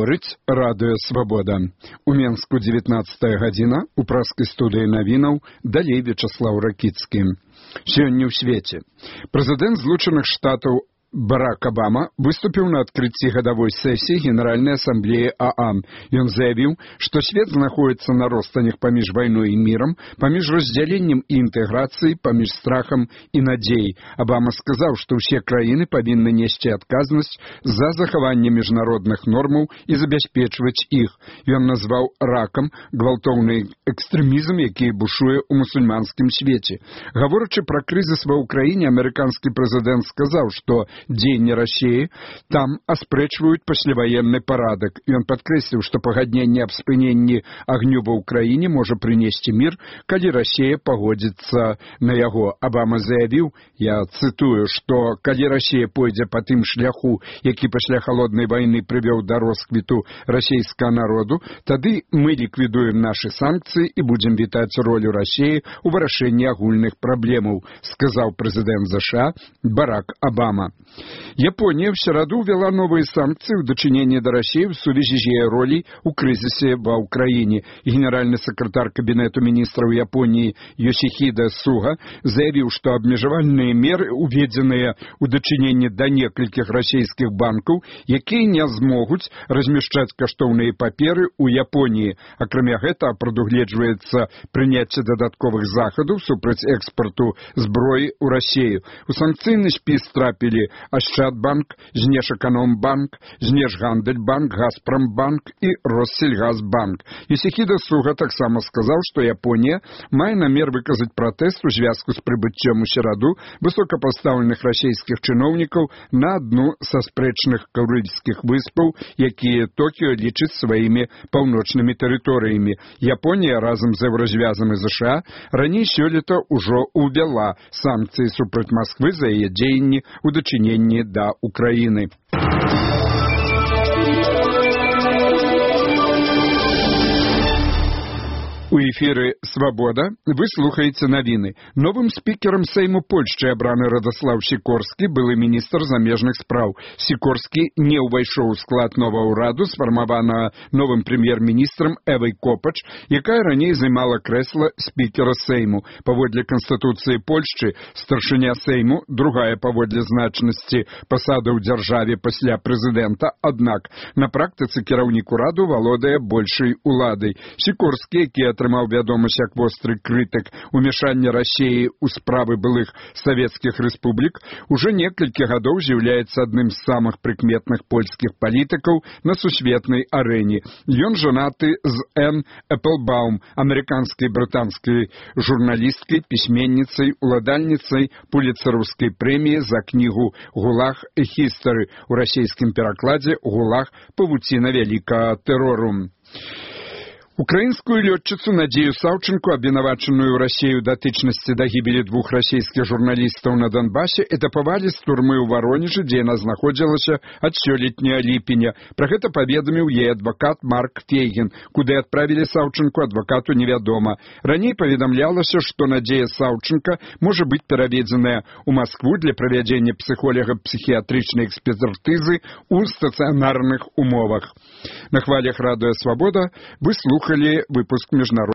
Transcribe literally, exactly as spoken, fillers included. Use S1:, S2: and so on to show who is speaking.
S1: Гаворыць радыё «Свабода». У Менску дзевятнаццатая гадзіна, у праскай студыі навінаў далей Вячаслаў Ракіцкі. Сёння ў свеце. Прэзідэнт Злучаных Штатаў Барак Обама выступіў на адкрыцці гадавой сесіі Генеральнай асамблеі ААН. Ён заявіў, што свет знаходіцца на ростанях паміж вайной і мірам, паміж раздзяленнем і інтэграцыяй, паміж страхам і надзеяй. Обама сказаў, што ўсе краіны павінны несці адказнасць за захаванне міжнародных нормаў і забяспечваць іх. Ён назваў ракам гвалтоўны экстрэмізм, які бушуе ў мусульманскім свеце. Гаворачы пра крызіс ва ўкраіне, амерыканскі прэзідэнт сказаў, што дзеянні Расіі там аспрэчваюць пасляваенны парадак. Ён падкрэсліў, што пагадненне аб спыненні агню ва ўкраіне можа прынесці мір, калі Расія пагодзіцца на яго. Обама заявіў, я цытую, што калі Расія пойдзе па тым шляху, які пасля халоднай вайны прывёў да росквіту расійскага народу, тады мы ліквідуем нашы санкцыі і будзем вітаць ролю Расіі ў вырашэнні агульных праблемаў, сказаў прэзідэнт ЗША Барак Обама. Япония в середу ввела новые санкции в дочинении до России в связи с ее ролью в кризисе в Украине. Генеральный секретарь Кабинета министров Японии Йосихиде Суга заявил, что обмежевальные меры, введенные в дочинении до нескольких российских банков, якія не змогут размещать каштоўныя паперы у Японии. А кроме этого, предугледживается принятие додатковых заходов супраць экспорту зброи у Россию. У санкцыйны спіс трапили Ощадбанк, Знешэканомбанк, Знешгандельбанк, Газпромбанк и Россельгазбанк. Йосихиде Суга таксама сказал, что Япония мае намер выказать протест у звязку с прибыццём у середу высокопоставленных российских чиновников на одну со спрэчных Курильских выспаў, якія Токио лічыць сваімі паўночнымі тэрыторыямі. Япония разом з Еўразвязам і ЗША раней сёлета ўжо увяла санкцыі супраць Москвы за яе дзеянні у дачыненні да Украіны. У эфіры «Свабода» вы слухаеце навіны. Новым спікерам Сейму Польшчы абраны Радослав Сікорскі, былы міністр замежных спраў. Сікорскі не ўвайшоў у склад новага ўраду, сфармаванага новым прэм'ер-міністрам Эвай Копач, якая раней займала крэсла спікера Сейму. Паводле Канстытуцыі Польшчы, старшыня Сейму, другая паводле значнасці пасада ў дзяржаве пасля прэзідэнта, аднак на практыцы кіраўнік ураду валодае большай уладай. Сікорскі, які атрымаў вядомасць як востры крытык умешання Расіі ў справы былых савецкіх рэспублік, уже некалькі гадоў з'яўляецца адным з самых прыкметных польскіх палітыкаў на сусветнай арэне. Ён жанаты з Энн Эпплбаум, амерыканскай брытанскай журналісткай, пісьменніцай, уладальніцай пуліцэраўскай прэміі за кнігу «Гулаг Хістары», у расійскім перакладзе «Гулаг. Павуціна вялікага тэрору». Украінскую лётчыцу Надзею Саўчынку, абвінавачаную Расію датычнасці да гібелі двух расійскіх журналістаў на Донбасе, этапавалі з турмы ў Варонежы, дзе яна знаходзілася ад сёлетняга ліпеня. Пра гэта паведаміў яе адвакат Марк Фейгін. Куды адправілі Саўчынку, адвакату невядома. Раней паведамлялася, што Надзея Саўчынка можа быць пераведзеная ў Маскву для правядзення псіхолага-псіхіятрычнай экспертызы ў стацыянарных умовах. На хвалях радыё «Свабода» вы слухали выпуск международного